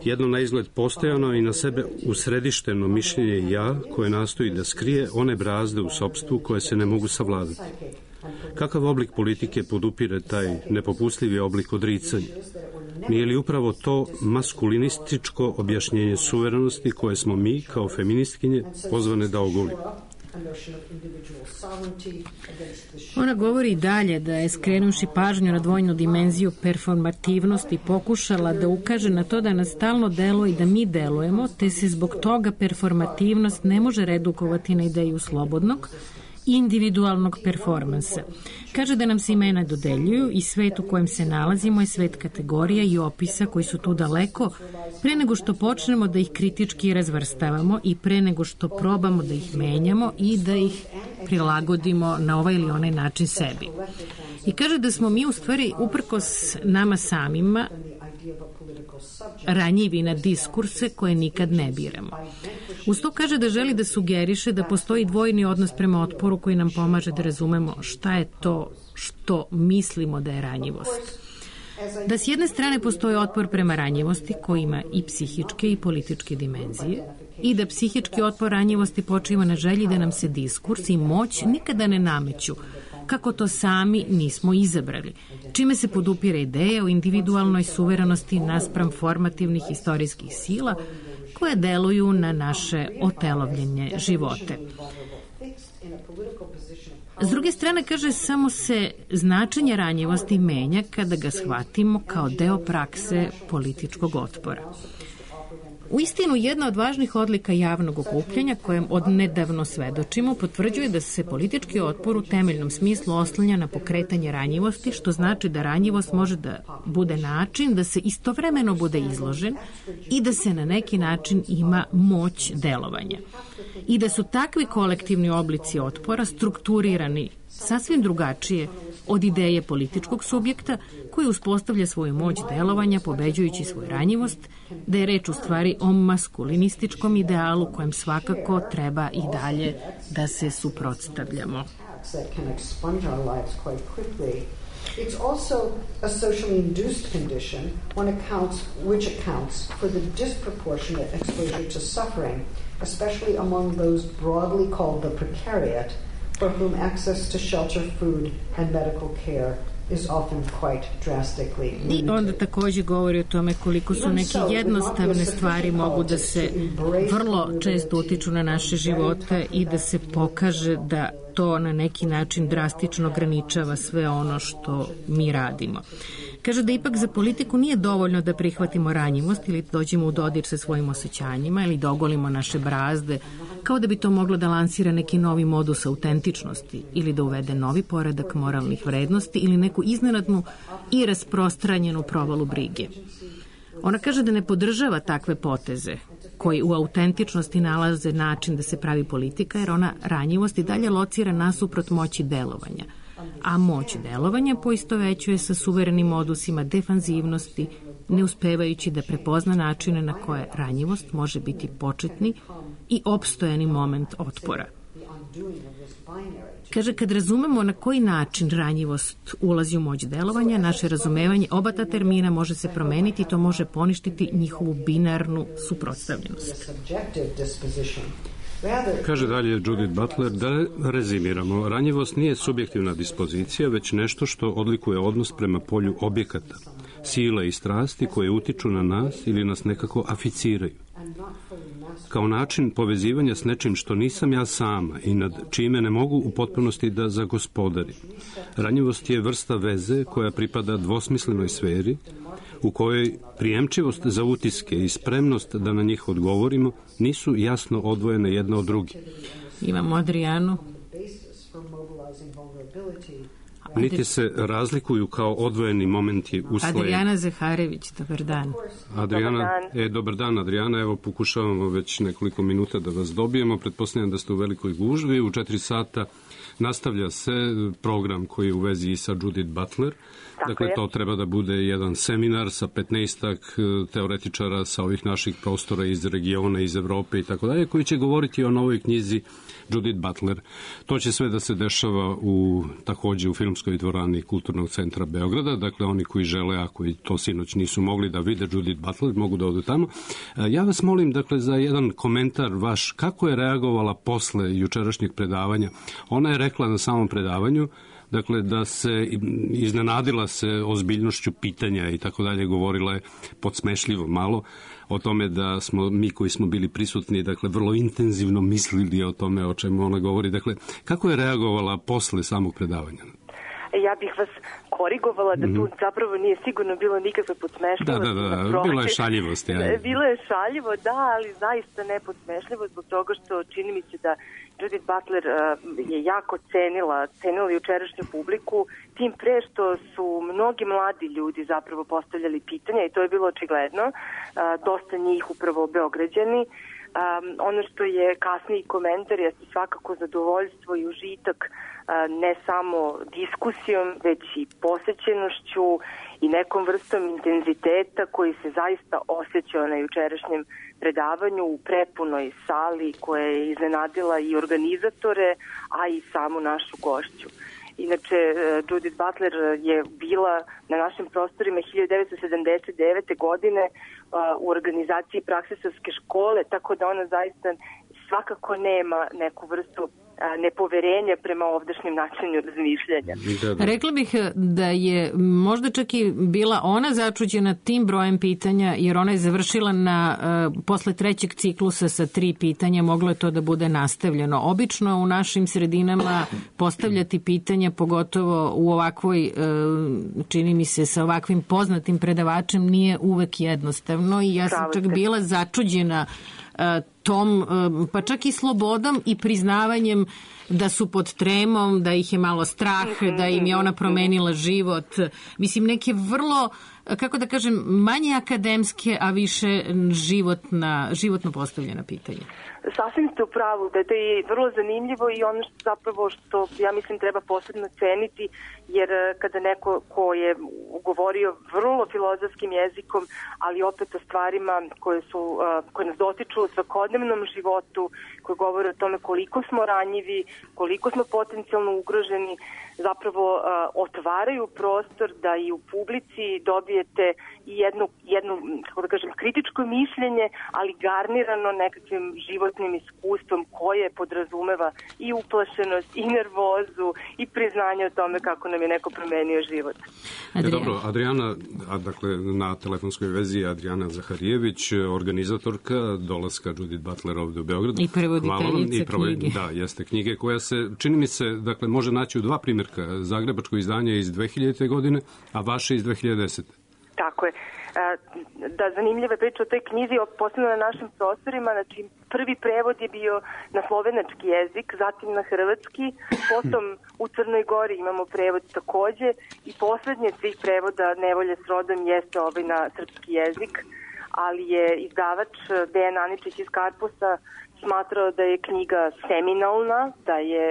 Jedno na izgled postojano i na sebe usredišteno mišljenje ja koje nastoji da skrije one brazde u sopstvu koje se ne mogu savladati. Kakav oblik politike podupire taj nepopustljivi oblik odricanja? Nije li upravo to maskulinističko objašnjenje suverenosti koje smo mi, kao feministkinje, pozvane da ogolimo? Ona govori i dalje da je, skrenuši pažnju na dvojnu dimenziju performativnosti, pokušala da ukaže na to da nas stalno deluje i da mi delujemo, te se zbog toga performativnost ne može redukovati na ideju slobodnog individualnog performansa. Kaže da nam se imena dodeljuju i svet u kojem se nalazimo je svet kategorija i opisa koji su tu daleko pre nego što počnemo da ih kritički razvrstavamo i pre nego što probamo da ih menjamo i da ih prilagodimo na ovaj ili onaj način sebi. I kaže da smo mi u stvari uprkos nama samima ranjivi na diskurse koje nikad ne biramo. Uz to kaže da želi da sugeriše da postoji dvojni odnos prema otporu koji nam pomaže da razumemo šta je to što mislimo da je ranjivost. Da s jedne strane postoji otpor prema ranjivosti koji ima i psihičke i političke dimenzije i da psihički otpor ranjivosti počiva na želji da nam se diskurs i moć nikada ne nameću kako to sami nismo izabrali, čime se podupire ideja o individualnoj suverenosti naspram formativnih istorijskih sila koje deluju na naše otelovljenje živote. S druge strane, kaže, samo se značenje ranjivosti menja kada ga shvatimo kao deo prakse političkog otpora. U istinu, jedna od važnih odlika javnog okupljanja, kojem odnedavno svedočimo, potvrđuje da se politički otpor u temeljnom smislu oslanja na pokretanje ranjivosti, što znači da ranjivost može da bude način da se istovremeno bude izložen i da se na neki način ima moć delovanja. I da su takvi kolektivni oblici otpora strukturirani sasvim drugačije od ideje političkog subjekta koji uspostavlja svoju moć delovanja pobeđujući svoju ranjivost, da je reč u stvari o maskulinističkom idealu kojem svakako treba i dalje da se suprotstavljamo. It's also a socially induced condition which accounts for the disproportionate exposure to suffering, especially among those broadly called the precariat, for whom access to shelter, food, and medical care is often quite drastically limited. I onda takođe govori o tome koliko su neke jednostavne stvari mogu da se vrlo često utiču na naše živote i da se pokaže da to na neki način drastično ograničava sve ono što mi radimo. Kaže da ipak za politiku nije dovoljno da prihvatimo ranjivost ili dođemo u dodir sa svojim osjećanjima ili da ogolimo naše brazde, kao da bi to moglo da lansira neki novi modus autentičnosti ili da uvede novi poredak moralnih vrednosti ili neku iznenadnu i rasprostranjenu provalu brige. Ona kaže da ne podržava takve poteze koji u autentičnosti nalaze način da se pravi politika, jer ona ranjivost i dalje locira nasuprot moći delovanja. A moć delovanja poistovećuje sa suverenim modusima defanzivnosti, ne uspevajući da prepozna načine na koje ranjivost može biti početni i opstojani moment otpora. Kaže, kad razumemo na koji način ranjivost ulazi u moć delovanja, naše razumevanje oba ta termina može se promeniti i to može poništiti njihovu binarnu suprotstavljenost. Kaže dalje Judith Butler, da rezimiramo, ranjivost nije subjektivna dispozicija, već nešto što odlikuje odnos prema polju objekata, sile i strasti koje utiču na nas ili nas nekako aficiraju. Kao način povezivanja s nečim što nisam ja sama i nad čime ne mogu u potpunosti da zagospodarim. Ranjivost je vrsta veze koja pripada dvosmislenoj sferi, u kojoj prijemčivost za utiske i spremnost da na njih odgovorimo nisu jasno odvojene jedna od druge. Imamo Adrijanu. Niti se razlikuju kao odvojeni momenti u svoje... Adrijana Zaharević, dobar dan. Adrijana, dobar dan Adrijana, evo pokušavamo već nekoliko minuta da vas dobijemo, pretpostavljam da ste u velikoj gužvi, u 4 sata nastavlja se program koji je u vezi sa Judith Butler. Dakle, to treba da bude jedan seminar sa 15-ak teoretičara sa ovih naših prostora iz regiona, iz Evrope i tako dalje, koji će govoriti o novoj knjizi Judith Butler. To će sve da se dešava takođe u filmskoj dvorani Kulturnog centra Beograda. Dakle, oni koji žele, ako i to sinoć nisu mogli da vide Judith Butler, mogu da odu tamo. Ja vas molim, dakle, za jedan komentar vaš, kako je reagovala posle jučerašnjeg predavanja. Ona je rekla na samom predavanju, dakle, da se iznenadila se ozbiljnošću pitanja i tako dalje, govorila je podsmešljivo malo o tome da smo mi koji smo bili prisutni, dakle, vrlo intenzivno mislili o tome o čemu ona govori. Dakle, kako je reagovala posle samog predavanja? Ja bih vas korigovala da tu zapravo nije sigurno bilo nikakve podsmešljivosti. Da, bilo je šaljivosti. Bilo je šaljivo, da, ali zaista ne podsmešljivo zbog toga što čini mi se da Judith Butler je jako cenila jučerašnju publiku, tim pre što su mnogi mladi ljudi zapravo postavljali pitanja i to je bilo očigledno, dosta njih upravo Beograđani. Ono što je kasniji komentar jeste svakako zadovoljstvo i užitak ne samo diskusijom, već i posećenošću i nekom vrstom intenziteta koji se zaista osjećao na jučerašnjem predavanju u prepunoj sali koja je iznenadila i organizatore, a i samu našu gošću. Inače, Judith Butler je bila na našim prostorima 1979. godine u organizaciji Praksisarske škole, tako da ona zaista svakako nema neku vrstu nepoverenja prema ovdašnjem načinu razmišljanja. Rekla bih da je možda čak i bila ona začuđena tim brojem pitanja, jer ona je završila posle trećeg ciklusa sa 3 pitanja, moglo je to da bude nastavljeno. Obično u našim sredinama postavljati pitanja, pogotovo u ovakvoj, čini mi se, sa ovakvim poznatim predavačem, nije uvek jednostavno i ja sam čak bila začuđena tom, pa čak i slobodom i priznavanjem da su pod tremom, da ih je malo strah, da im je ona promenila život. Mislim, neke vrlo, kako da kažem, manje akademske, a više životno postavljena pitanja. Sasvim ste u pravu, da je to i vrlo zanimljivo i ono što ja mislim treba posebno ceniti, jer kada neko ko je govorio vrlo filozofskim jezikom, ali opet o stvarima koje nas dotiču u svakodnevnom životu, koje govore o tome koliko smo ranjivi, koliko smo potencijalno ugroženi, zapravo otvaraju prostor da i u publici dobijete jednu kako da kažem, kritičko mišljenje, ali garnirano nekakvim životnim iskustvom koje podrazumeva i uplašenost, i nervozu, i priznanje o tome kako nam je neko promenio život. Dobro, Adriana, dakle na telefonskoj vezi Adriana Zaharijević, organizatorka dolaska Judith Butler ovde u Beogradu. I prevoditeljica knjige. Da, jeste knjige koja se, čini mi se, dakle, može naći u 2 primjerka. Zagrebačko izdanje iz 2000. godine, a vaše iz 2010. Tako je. Da, zanimljiva je priča o toj knjizi, posebno na našim prostorima. Znači, prvi prevod je bio na slovenački jezik, zatim na hrvatski, potom u Crnoj Gori imamo prevod takođe i poslednje svih prevoda Nevolje s rodom jeste na srpski jezik, ali je izdavač Dejan Aničić iz Karpusa smatrao da je knjiga seminalna, da je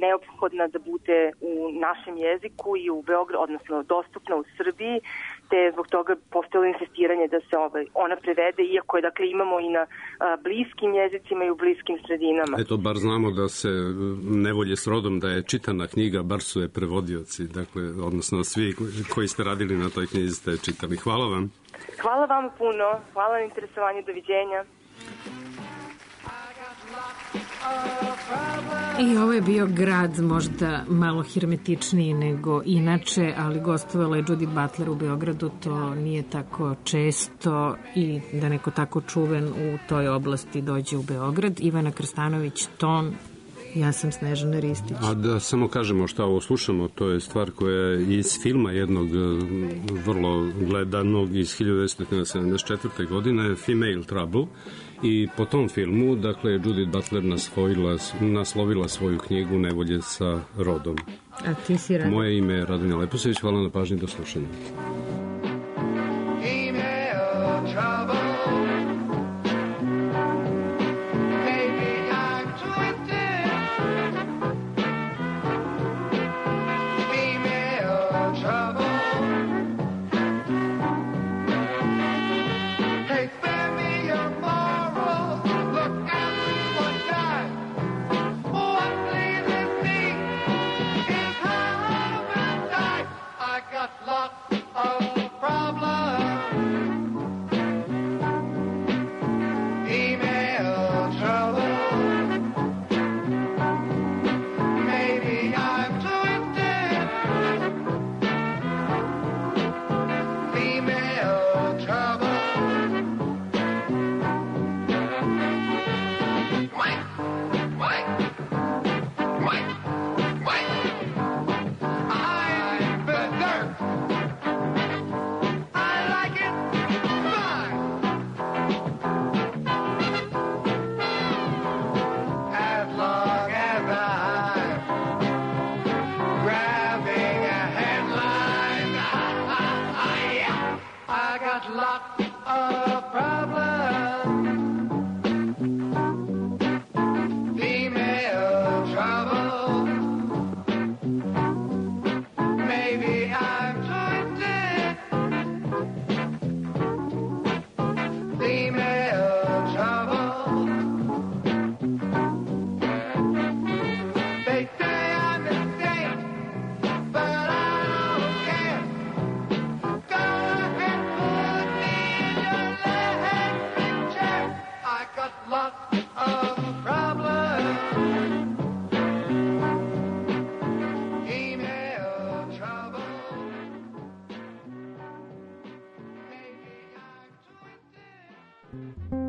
neophodna da bude u našem jeziku i u Beogradu, odnosno dostupna u Srbiji, te zbog toga postojalo insistiranje da se ona prevede, iako je, dakle, imamo i na bliskim jezicima i u bliskim sredinama. Eto, bar znamo da se Nevolje s rodom, da je čitana knjiga, bar su je prevodioci, dakle, odnosno svi koji ste radili na toj knjizi ste čitali. Hvala vam. Hvala vam puno, hvala na interesovanju, doviđenja. I ovo je bio grad možda malo hermetičniji nego inače, ali gostovala je Judith Butler u Beogradu, to nije tako često i da neko tako čuven u toj oblasti dođe u Beograd. Ivana Krstanović, ton, ja sam Snežana Ristić. A da samo kažemo šta ovo slušamo, to je stvar koja je iz filma jednog vrlo gledanog iz 1974. godine, Female Trouble. I po tom filmu, dakle, Judith Butler naslovila svoju knjigu Nevolje sa rodom. A ti si Radan? Moje ime je Radan Leposević, hvala na pažnji, do slušanja. Oh lot of problems. Female trouble. Maybe I'm twisted. Female trouble. They say I'm a saint, but I don't care. Go ahead, put me in your electric chair. I got lots of problems. Female trouble. Maybe I'm twisted.